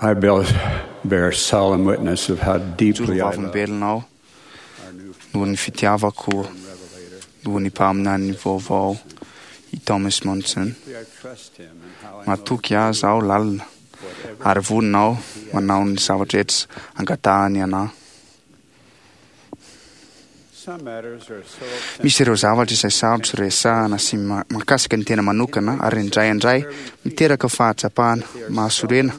I bear solemn witness of how Mijoro deeply I love vavolombelona aho our new noho ny fitiavako noho ny mpaminany vaovao i Thomas Monson. I trust him and how I know Matoky azy aho lalina whatever ary vonona aho manao ny zavatra rehetra angatahany anahy. some matters are so Misy ireo zavatra izay sarotra resahana sy ma- mahakasika ny tena manokana ary indraindray miteraka fahatsapana mahasorena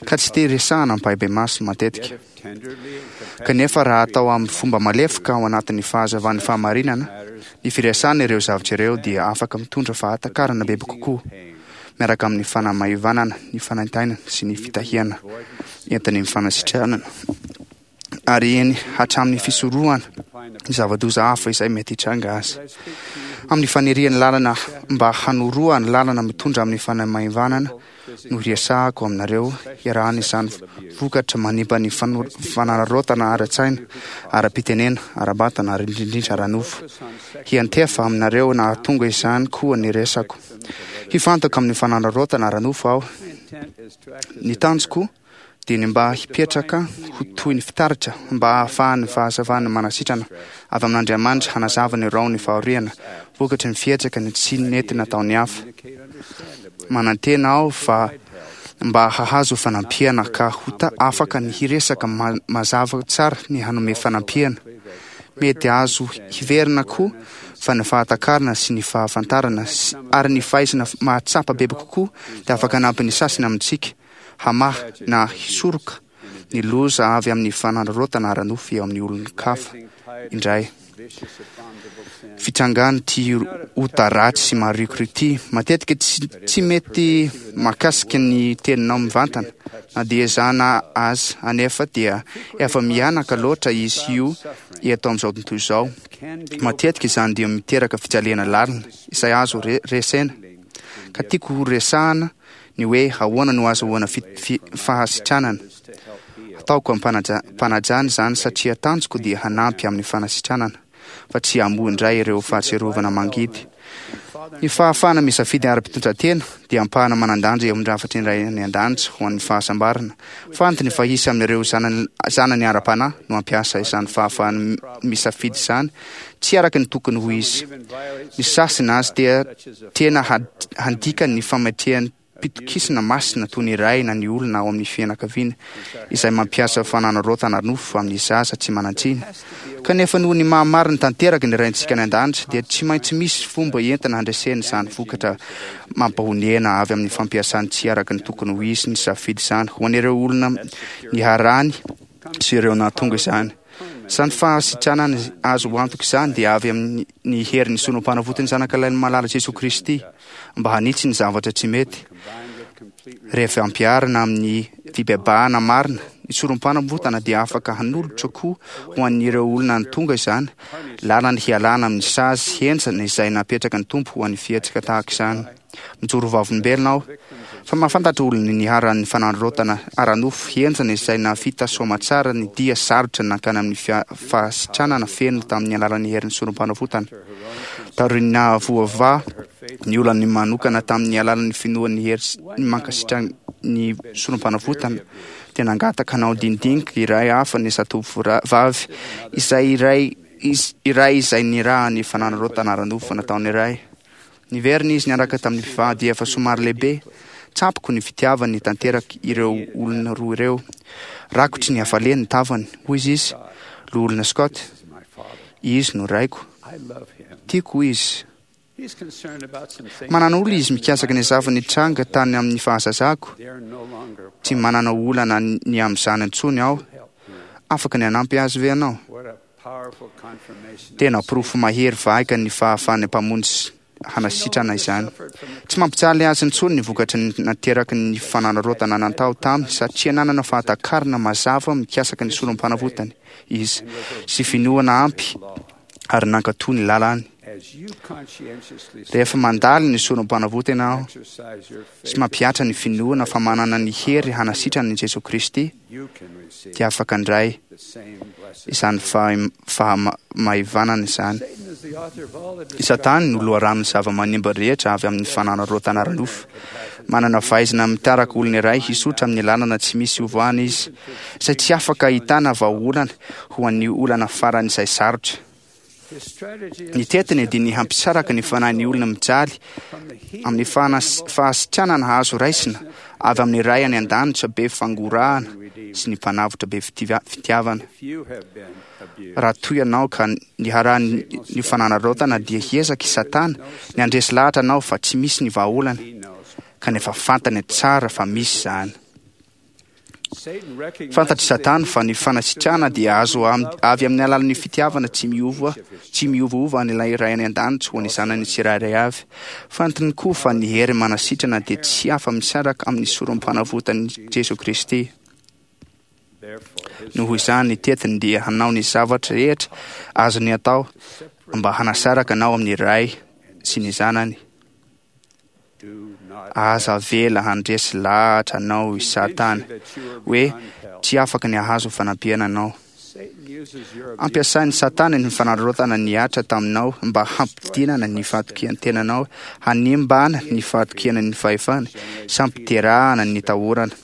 ka tsy te resahana ampahibemaso matetika. yet if tenderly and Kanefa raha atao amin'ny fomba malefoka ao anatin'ny fahazavan'ny fahamarinana, ny firesahana ireo zavatra ireo dia afaka mitondra fahatakarana bebe kokoa pain, miaraka amin'ny fanamaivanana, ny fanaintainana sy ny fitahiana entin'ny fanasitranana ary eny hatramin'ny fisorohana ny zava-doza hafa izay mety hitranga azy. I speak to you Amin'ny fanirian'ny lalana mba hanoroa ny lalana mitondra amin'ny fanamaivanana no hiresahako aminareo hiarahana izany vokatra manimba ny fano- fanararaotana ara-tsaina, ara-pitenena, ara-batana ary indrindrindra ara-nofo. Hiantefa aminareo nahatonga izany koa ny resako. Hifantoka amin'ny fanararaotana ara-nofo aho. My intent is to act as Ny a tanjoko dia ny mba hipetraka ho toy ny fitaratra mba hahafahan'ny fahazavana manasitrana avy amin'Andriamanitra hanazava ny rahon'ny fahoriana vokatry ny fihetsika ny tsy nety nataon'ny hafa. communicate understandably Manantena aho fa mba hahazo fanampiana ka ho ta- afaka ny hiresaka ma- mazava tsara ny hanome fanampiana. Mety azo hiverina koa fa ny fahatakarana sy ny fahafantarana sy- ary ny fahaizana mahatsapa bebe kokoa dia afaka hanampy ny sasany amintsika hamaha na hisoroka ny loza avy amin'ny fanararaotana ara-nofo eo amin'ny olon-kafa indray. vicious abominable sin Fitrangan'ny ty ota ratsy sy marikoriko ity matetika tsy, tsy mety mahakasika ny teninao mivantana na dia ezahana azy anefa dia efa mihanaka loatra izy io eto amin'izao tontolo izao. can be Matetika izany dia miteraka fijaliana lalina izay azo re- resena ka tiako ho resahana ny hoe ahoana no azahoana fi- fi- fahasitranana. to help heal. Ataoko am-panajana izany satria tanjoko dia hanampy amin'ny fanasitranana fa tsy hamoa indray ireo fahatsiarovana mangidy. Ny fahafahana misafidy ara-pitondran-tena dia ampahana manan-danja eo amin'ny rafitra indray any an-danitra ho an'ny fahasambarana. Fantany fa hisy amin'ireo zanany, zanany ara-panahy no hampiasa izany fahafahana mi- misafidy izany tsy araka ny tokony ho izy. Even violate Ny sasany azy dia such as a tena had- handika ny fametreham-pitokisana masina toy ny ray na ny olona ao amin'ny fianakaviana izay mampiasa fanararaotana ara-nofo amin'ny zaza tsy manan-tsiny. Kanefa noho ny mahamarina tanteraka ny raintsika any an-danitra dia tsy maintsy misy fomba entina handresena izany vokatra mampahonena avy amin'ny fampiasany tsy araka ny tokony ho izy ny safidy izany ho an'ireo olona niharany sy ireo nahatonga izany. Izany fahasitranana azo antoka izany dia avy amin'ny ny herin'ny sorom-panavotan'ny zanakalahin'ny malala Jesoa Kristy mba hanitsy ny zavatra tsy mety. combined with complete Rehefa ampiharina amin'ny fibebahana marina, ny sorom-panavotana dia afaka hanolotra koa ho an'ireo olona nitonga izany, lalana hialana amin'ny sazy henjana izay napetraka ny Tompo ho an'ny fihetsika tahaka izany. Mijoro vavolombelona aho fa mahafantatra olona niharan'ny fanararaotana ara-nofo henjana izay nahavita soamatsara ny dia sarotra nankany amin'ny fia- fahasitranana feno tamin'ny alalan'ny herin'ny sorom-panavotana. Taorian'ny nahavoavaha ny olany manokana tamin'ny alalan'ny finoan'ny hery sy ny mankasitrana ny sorom-panavotana dia nangataka hanao dinidinika iray hafa ny zatovovavy izay iray iz- iray izay nirahan'ny fanararaotana ara-nofo nataon'ny ray. Niverina izy niaraka tamin'ny mpivady efa somary lehibe. Tsapako ny fitiavany tanteraka ireo olona roa ireo. Rakotry ny hafaliany ny tavany, hoy izy, loholona Scott, is my father. izy no raiko. I love him. Tiako izy. He's concerned about some things Manana olona izy mikasaka ny zava-nitranga tany amin'ny fahazazako. They are no longer a Tsy manana olana ny amin'izany intsony aho. help him. Afaka ny hanampy azy ve ianao? What a powerful confirmation. Tena porofo mahery vaika ny fahafahan'ny mpamonjy hanasitrana izany. Tsy mampijaly azy intsony ny vokatry ny nateraky ny fanararaotana natao taminy satria nanana fahatakarana mazava mikasaka ny sorom-panavotany izy sy finoana ampy ary nankatò ny lalany. As you conscientiously Rehefa mandalo ny sorom-panavotana aho exercise your sy faith, mampihatra ny finoana fa manana ny hery hanasitrana ny Jesoa Kristy you can receive dia afaka handray the same blessing. izany faha- fahamaivanana izany. Satan is the author of all the I Satana no loharanon'ny zava-manimba rehetra avy amin'ny fanararaotana ara-nofo. Manana fahaizana mitaraka olona iray hisotra amin'ny lalana tsy misy ovoana izy, izay tsy afaka ahitana vahaolana ho an'ny olana farany izay sarotra. Ny tetiny dia ny hampisaraka ny fanahin'ny olona mijaly amin'ny fahasitranana azo raisina avy amin'ny Ray any an-danitra be fangorahana sy ny Mpanavotra be fitiavana. Raha toa ianao ka niharan'ny fanararaotana dia hiezaka i Satana ny handresy lahatra anao fa tsy misy ny vahaolana, kanefa fantany tsara fa misy izany. Fantatr'i Satana fa ny fanasitrana dia azo avy amin'ny alalan'ny fitiavana tsy miova tsy miovaova an'ilay Ray any an-danitra ho an'ny zanany tsirairay avy. Fantany koa fa ny hery manasitrana dia tsy afa-misaraka amin'ny sorom-panavotan'i Jesoa Kristy. Noho izany, ny tetiny dia hanao ny zavatra rehetra azony atao mba hanasaraka anao amin'ny Ray sy ny Zanany. Aza avela handresy lahatra anao i Satana hoe tsy afaka ny hahazo fanampiana anao. Ampiasain'i Satana ny fanararaotana nihatra taminao mba hampidinana ny fahatokian-tenanao, hanimbana ny fahatokiana ny fahefana, sy hampiterahana ny tahorana,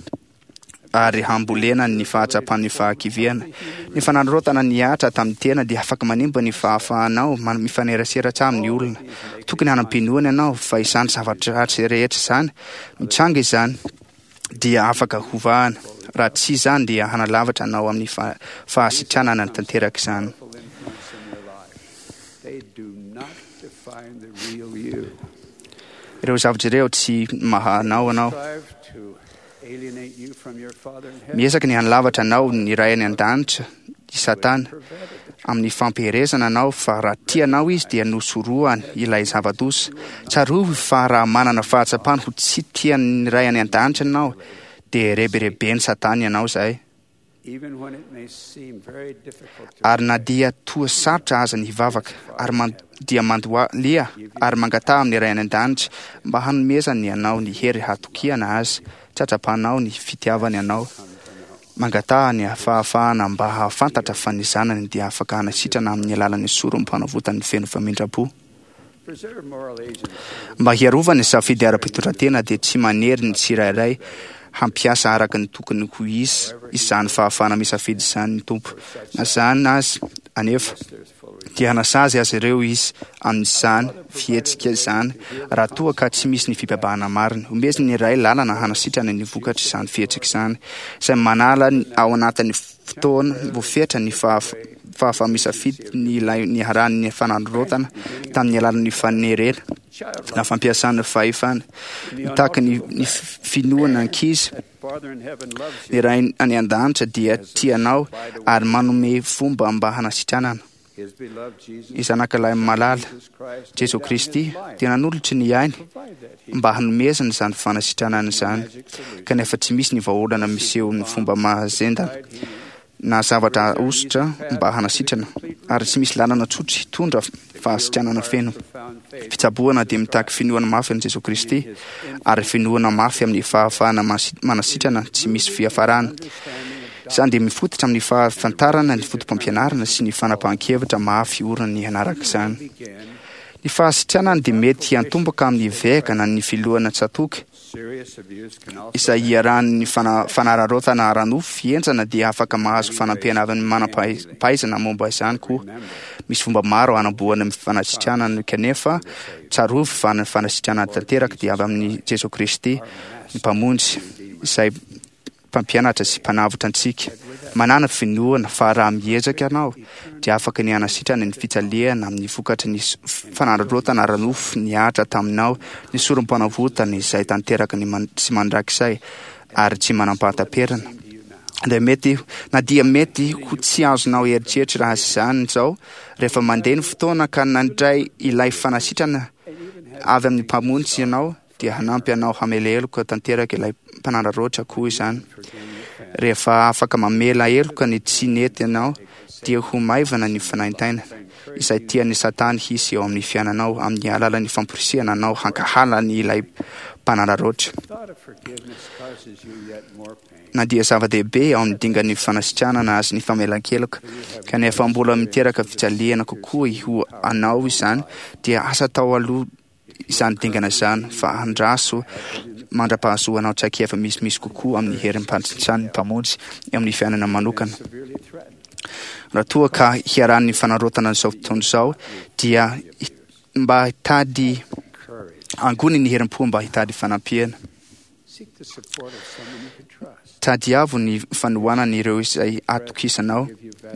ary hambolena ny fahatsapan'ny fahakiviana. Ny fanararaotana nihatra tamin'ny tena dia afaka manimba ny fahafahanao mifanerasera tsara amin'ny olona. Tokony hanam-pinoana ianao fa izany zavatra ratsy rehetra izany, mitranga izany, dia afaka hovahana. Raha tsy izany dia hanalavitra anao amin'ny fahasitranana tanteraka izany. Ireo zavatra ireo tsy maha anao anao. Miezaka ny hanalavatra anao ny Ray any an-danitra i Satana amin'ny fampiherezana anao fa raha tia anao izy dia nosorohany ilay zava-doza. Tsarovy fa raha manana fahatsapana ho tsy tian'ny Ray any an-danitra ianao dia rebireben'i Satana ianao izay. Ary na dia toa sarotra aza ny hivavaka, ary dia mandohalia ary mangataha amin'ny Ray any an-danitra mba hanomezany anao ny hery hatokiana azy, tsatrapanao ny fitiavany anao. Mangataha ny fahafahana mba hahafantatra fa ny zanany dia afaka hanasitrana amin'ny alalan'ny sorom-panavotany feno famindram-po. Mba hiarovana ny safidy ara-pitondran-tena dia tsy manery ny tsirairay hampiasa araka ny tokony ho izy izany fahafahana misafidy izany ny Tompo. Na izany aza anefa, dia hanasazy azy ireo Izy amin'izany fihetsika izany raha toa ka tsy misy ny fibebahana marina. Omeziny ny Ray lalana hanasitrana ny vokatr'izany fihetsika izany, izay manala ao anatin'ny fotoana voafetra ny fahafaha-misafidy ny ilay niharan'ny fanararaotana tamin'ny alalan'ny fanerena na fampiasana fahefana. Mitaky ny finoana ankizy, ny Ray any an-danitra dia tia anao ary manome fomba mba hanasitranana. Ny Zanakalahy malala, Jesoa Kristy, dia nanolotra ny ainy mba hanomezana izany fanasitranana izany, kanefa tsy misy ny vahaolana miseho ny fomba mahazendana na zavatra ahosotra mba hanasitrana, ary tsy misy lalana tsotra hitondra fahasitranana feno. Fitsaboana dia mitaky finoana mafy an'i Jesoa Kristy, ary finoana mafy amin'ny fahafahana manasitrana tsy misy fiafarana. Izany dia mifototra amin'ny fahafantarana ny fotopampianarana sy ny fanapahan-kevitra mafy orina ny hanaraka izany. Ny fahasitranana dia mety hiantomboka amin'ny vehaka na ny filohana tsatoka, izay iarahan'ny fanararaotana ara-nofo henjana dia afaka mahazo fanampiana avy amin'ny manam-pahaizana momba izany koa. Misy fomba maro hanamboana ny fanasitranana kanefa tsarovy fa ny fanasitranana tanteraka dia avy amin'i Jesoa Kristy, ny Mpamonjy, izay Mpampianatra sy Mpanavotra antsika. Manàna finoana fa raha miezaka ianao dia afaka ny hanasitrana ny fijaliana amin'ny vokatry ny fanararaotana ara-nofo nihatra taminao ny sorom-panavotana izay tanteraka ny sy mandrakizay ary tsy manam-pahataperana. Dia mety, na dia mety ho tsy azonao eritreritra raha izany izao, rehefa mandeha ny fotoana ka nandray ilay fanasitrana avy amin'ny Mpamonjy ianao, dia hanampy anao hamela heloka tanteraka ilay mpanararaotra koa izany. Rehefa afaka mamela heloka ny tsy nety ianao, dia ho maivana ny fanaintainana izay tian'i Satana hisy eo amin'ny fiainanao amin'ny alalan'ny famporisihana anao hankahala ny ilay mpanararaotra. Na dia zava-dehibe ao amin'ny dingan'ny fanasitranana azy ny famelan-keloka, kanefa mbola miteraka fijaliana kokoa ho anao izany, dia asa atao aloha izany dingana izany fa andraso mandra-pahazoanao traikefa misimisy kokoa amin'ny herim-panitsan'ny Mpamonjy eo amin'ny fiainana manokana. Raha toa ka hiarahan'ny fanarotana izao fotoana izao dia mba hitady angony ny herim-po mba hitady fanampiana. Tadiavo ny fanohanan'ireo izay atokisanao.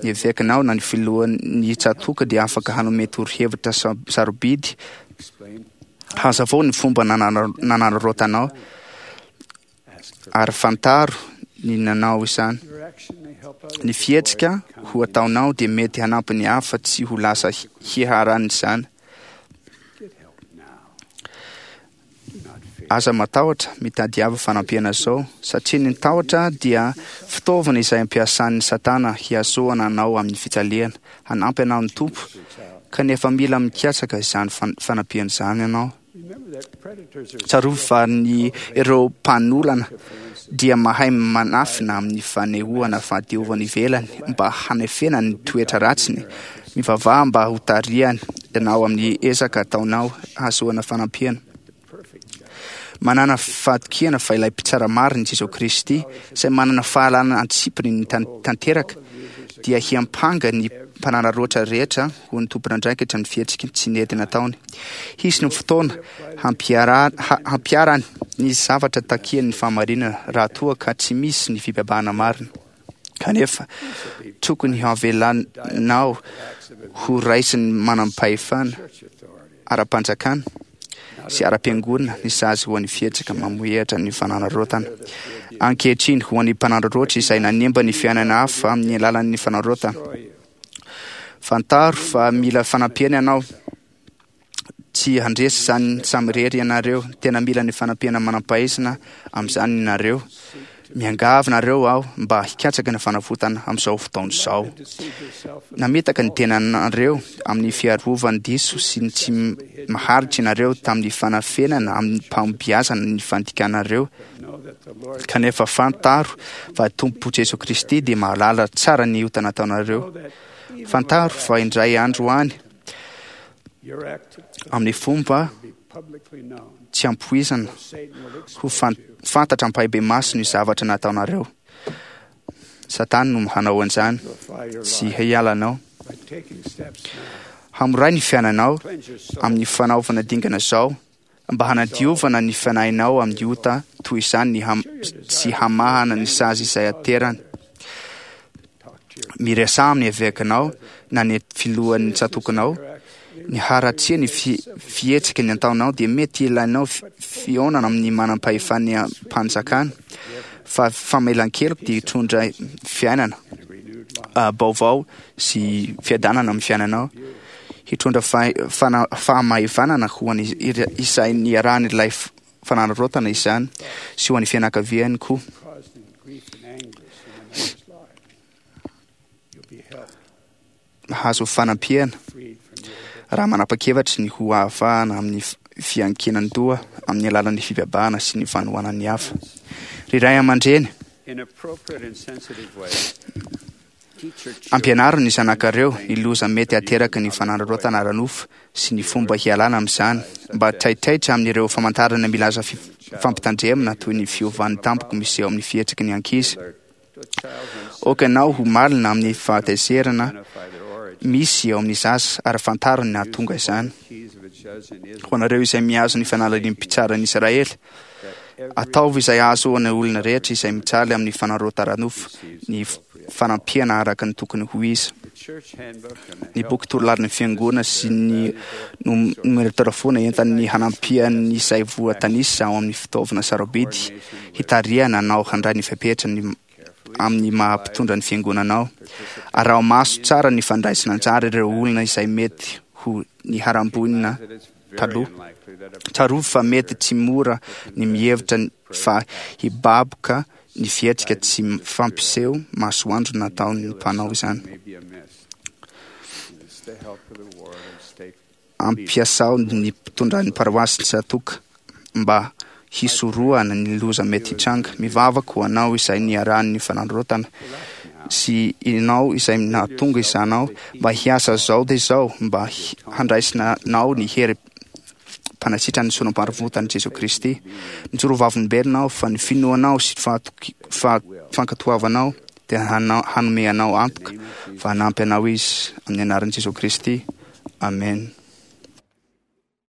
Ny evekanao na ny filohan'ny tsatòka dia afaka hanome torohevitra sarobidy. Hazavao ny fomba nanararaotanao ary fantaro ny nanao izany. Ny fihetsika ho ataonao dia mety hanampy ny hafa tsy ho lasa hiharan'izany. Aza matahotra, mitadiava fanampiana izao, satria ny tahotra dia fitaovana izay ampiasan'ny Satana hiasohana anao amin'ny fijaliana. Hanampy anao ny Tompo, kanefa mila mikatsaka izany fanampiana izany ianao. Tsarovy fa ny ireo mpanolana dia mahay manafina amin'ny fanehoana fahadiovana ivelany mba hanefena ny toetra ratsiny. Mivavaha mba ho tarihany ianao amin'ny ezaka ataonao hahazoana fanampiana. Manana fahatokiana fa ilay mpitsara marina Jesosy Kristy, izay manana fahalalana antsipiny ny tanteraka, dia hiampanga ny mpanararaotra rehetra ho ny tompon'andraikitra ny fihetsika tsy nety nataony. Hisy ny fotoana hampiharany ny zavatra takian'ny fahamarinana raha toa ka tsy misy ny fibebahana marina. Kanefa tokony havelanao ho raisin'ny manam-pahefana ara-panjakana sy ara-piangonana ny sazy ho an'ny fihetsika mamohehatra ny fanararaotana. Ankehitriny, ho an'ny mpanararaotra izay nanimba ny fiainana hafa amin'ny alalan'ny fanararaotana, fantaro fa mila fanampiana ianao. Tsy handresy izany samirery ianareo. Tena mila ny fanampiana manam-pahaizana amin'izany ianareo. Miangavy nareo aho mba hikatsaka ny fanavotana amin'izao fotoana izao. Nametaka ny tenanareo amin'ny fiarovany diso sy ny tsy maharitra ianareo tamin'ny fanafenana amin'ny mpampiasana ny fandikanareo. Kanefa fantaro fa Tompo Jesoa Kristy dia mahalala tsara ny ota nataonareo. Fantaro fa indray andro any amin'ny fomba tsy ampoizana ho fantatra ampahibemaso ny zavatra nataonareo. Satana no hanao an'izany, tsy hialanao. Hamoray ny fiainanao amin'ny fanaovana dingana izao mba hanadiovana ny fanahinao amin'ny ota toy izany ny tsy hamahana ny sazy izay aterany. Miresaha amin'ny evekanao na ny filohan'ny tsatokanao. Ny haratsia ny fihetsika ny ataonao dia mety ilainao fihaonana amin'ny manam-pahefan'ny mpanjakana, fa famelan-keloka dia hitondra fiainana baovao sy fiadanana amin'ny fiainanao. Hitondra fahamaivanana ho an'ny izay niarahan'ilay fanararaotana izany sy ho an'ny fianakaviany koa. Mahazo fanampiana raha manapa-kevitra ny ho ahafahana amin'ny fiankinan-doha amin'ny alalan'ny fibebahana sy ny fanohanan'ny hafa. Ry ray aman-dreny, ampianaro ny zanakareo ny loza mety hateraka ny fanararaotana ara-nofo sy ny fomba hialana amin'izany, mba taitaitra amin'ireo famantarana milaza fampitandremana toy ny fiovan'ny tampoka miseho amin'ny fihetsiky ny ankizy. Aoka ianao ho malina amin'ny fahatezerana misy eo amin'ny zaza ary fantaro ny nahatonga izany. Ho anareo izay mihazo ny fanalahidin'ny mpitsaran'i Israely, ataovy izay hahazoana olona rehetra izay mijaly amin'ny fanararaota-nofo ny fanampiana araka ny tokony ho izy. Ny boky torolarin'ny fiangonana sy ny nomerotarafoana entan'ny hanampian'ny izay voatanisa ao amin'ny fitaovana sarobidy hitarihana anao handray ny fepetra ny amin'ny maha-mpitondra ny fiangonanao. Araho maso tsara ny fandraisana anjara ireo olona izay mety ho niharam-boina taloha. Tsarovy fa mety tsy mora ny mihevitra fa hibaboka ny fihetsika tsy fampiseho masoandro nataon'ny mpanao izany. Ampiasao ny mpitondran'ny paroasy tsatoka mba hisorohana ny loza mety hitranga. Mivavaka ho anao izay niarahan'ny fanararaotana sy ianao izay nahatonga izanao mba hiasa zao dia izao mba handraisinao ny hery. mpanasitran'ny sorompanavotan'i Jesoa Kristy. Mijoro vavolombelona aho fa ny finoanao sy fankatoavanao dia hanome anao antoka fa hanampy anao Izy amin'ny anaran'i Jesoa Kristy. Amen.